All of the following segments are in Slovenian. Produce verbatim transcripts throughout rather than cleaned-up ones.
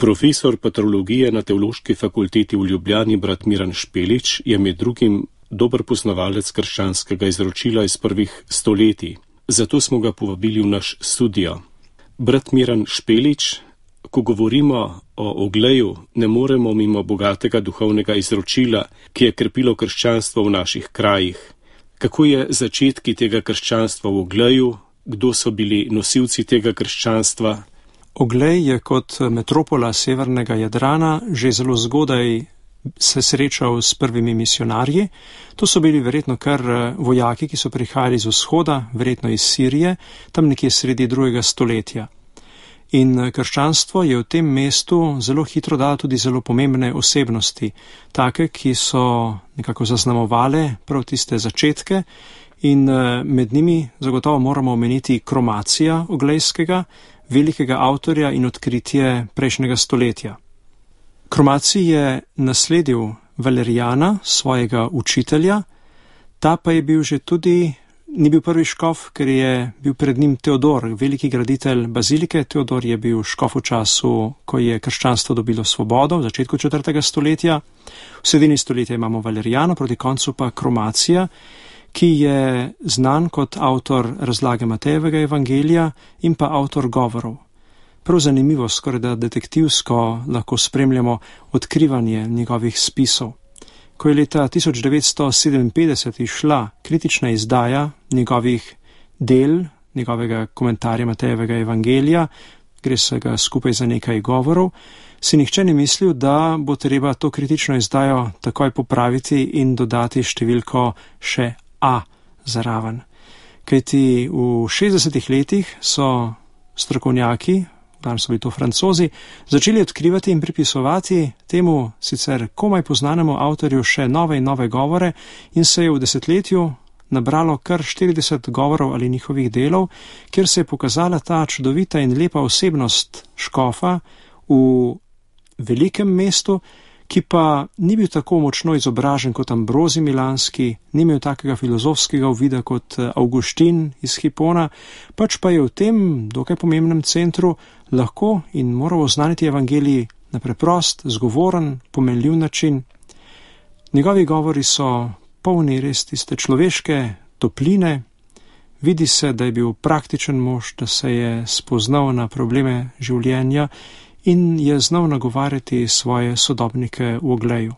Profesor patrologije na Teološki fakulteti v Ljubljani brat Miran Špelič je med drugim dober poznavalec krščanskega izročila iz prvih stoletij. Zato smo ga povabili v naš studio. Brat Miran Špelič, ko govorimo o ogleju, ne moremo mimo bogatega duhovnega izročila, ki je krepilo krščanstvo v naših krajih. Kako je začetki tega krščanstva v ogleju, kdo so bili nosilci tega krščanstva? Oglej je kot metropola severnega Jadrana že zelo zgodaj se srečal s prvimi misionarji. To so bili verjetno kar vojaki, ki so prihajali z vzhoda, verjetno iz Sirije, tam nekje sredi drugega stoletja. In krščanstvo je v tem mestu zelo hitro dalo tudi zelo pomembne osebnosti, take, ki so nekako zaznamovale prav tiste začetke, in med njimi zagotovo moramo omeniti Kromacija Oglejskega, velikega avtorja in odkritje prejšnjega stoletja. Kromacij je nasledil Valerijana, svojega učitelja, ta pa je bil že tudi, ni bil prvi škof, ker je bil pred njim Teodor, veliki graditelj bazilike. Teodor je bil škof v času, ko je krščanstvo dobilo svobodo, v začetku četrtega stoletja. V sredini stoletja imamo Valerijana, proti koncu pa Kromacija, ki je znan kot avtor razlage Matejevega evangelija in pa avtor govorov. Prav zanimivo, skoraj da detektivsko lahko spremljamo odkrivanje njegovih spisov. Ko je leta tisoč devetsto sedeminpetdeset išla kritična izdaja njegovih del, njegovega komentarja Matejevega evangelija, gre se ga skupaj za nekaj govorov, si nihče ni mislil, da bo treba to kritično izdajo takoj popraviti in dodati številko še A zaraven. Kajti v šestdesetih letih so strokovnjaki, danes so bili to Francozi, začeli odkrivati in pripisovati temu sicer komaj poznanemu avtorju še nove in nove govore in se je v desetletju nabralo kar štirideset govorov ali njihovih delov, kjer se je pokazala ta čudovita in lepa osebnost škofa v velikem mestu, ki pa ni bil tako močno izobražen kot Ambrozij Milanski, ni imel takega filozofskega uvida kot Avguštin iz Hipona, pač pa je v tem dokaj pomembnem centru lahko in moral oznaniti evangelij na preprost, zgovoren, pomenljiv način. Njegovi govori so polni res tiste človeške topline, vidi se, da je bil praktičen mož, da se je spoznal na probleme življenja in je znal nagovarjati svoje sodobnike v Ogleju.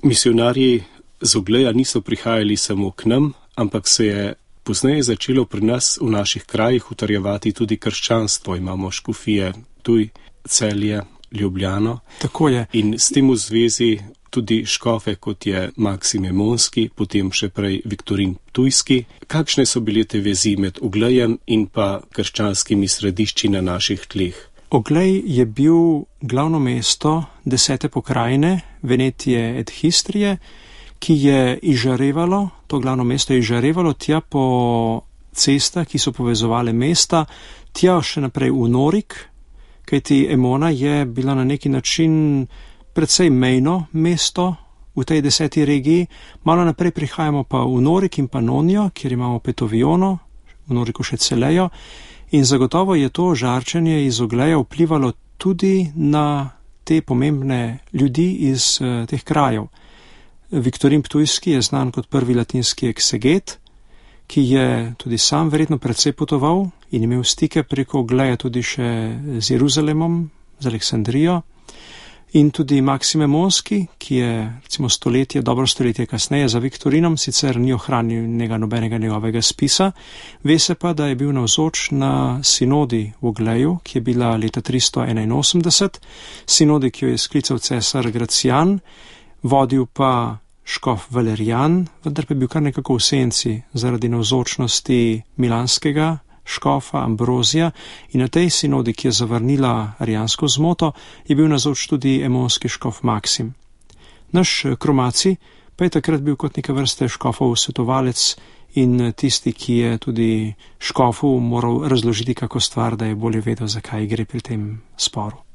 Misionarji z Ogleja niso prihajali samo k nam, ampak se je pozneje začelo pri nas v naših krajih utrjevati tudi krščanstvo. Imamo škofije Ptuj, Celje, Ljubljano. Tako je. In s tem v zvezi tudi škofe, kot je Maksim Emonski, potem še prej Viktorin Ptujski. Kakšne so bile te vezi med Oglejem in pa krščanskimi središči na naših tleh? Oglej je bil glavno mesto desete pokrajine, Venetije et Histrije, ki je izžarevalo, to glavno mesto je izžarevalo tja po cestah, ki so povezovale mesta, tja še naprej v Norik, kajti Emona je bila na neki način precej mejno mesto v tej deseti regiji. Malo naprej prihajamo pa v Norik in Panonijo, kjer imamo Petoviono, v Noriku še Celejo. In zagotovo je to žarčenje iz Ogleja vplivalo tudi na te pomembne ljudi iz uh, teh krajev. Viktorin Ptujski je znan kot prvi latinski ekseget, ki je tudi sam verjetno precej potoval in imel stike preko Ogleja tudi še z Jeruzalemom, z Aleksandrijo. In tudi Maksim Emonski, ki je recimo stoletje, dobro stoletje kasneje za Viktorinom, sicer ni ohranil njega nobenega njegovega spisa, ve se pa, da je bil navzoč na sinodi v Ogleju, ki je bila leta tristo enainosemdeset, sinodi, ki jo je sklical cesar Gracijan, vodil pa škof Valerijan, vendar pa je bil kar nekako v senci zaradi navzočnosti milanskega škofa Ambrozija, in na tej sinodi, ki je zavrnila arijansko zmoto, je bil navzoč tudi emonski škof Maksim. Naš Kromacij pa je takrat bil kot neka vrste škofov svetovalec in tisti, ki je tudi škofu moral razložiti kako stvar, da je bolje vedel, zakaj gre pri tem sporu.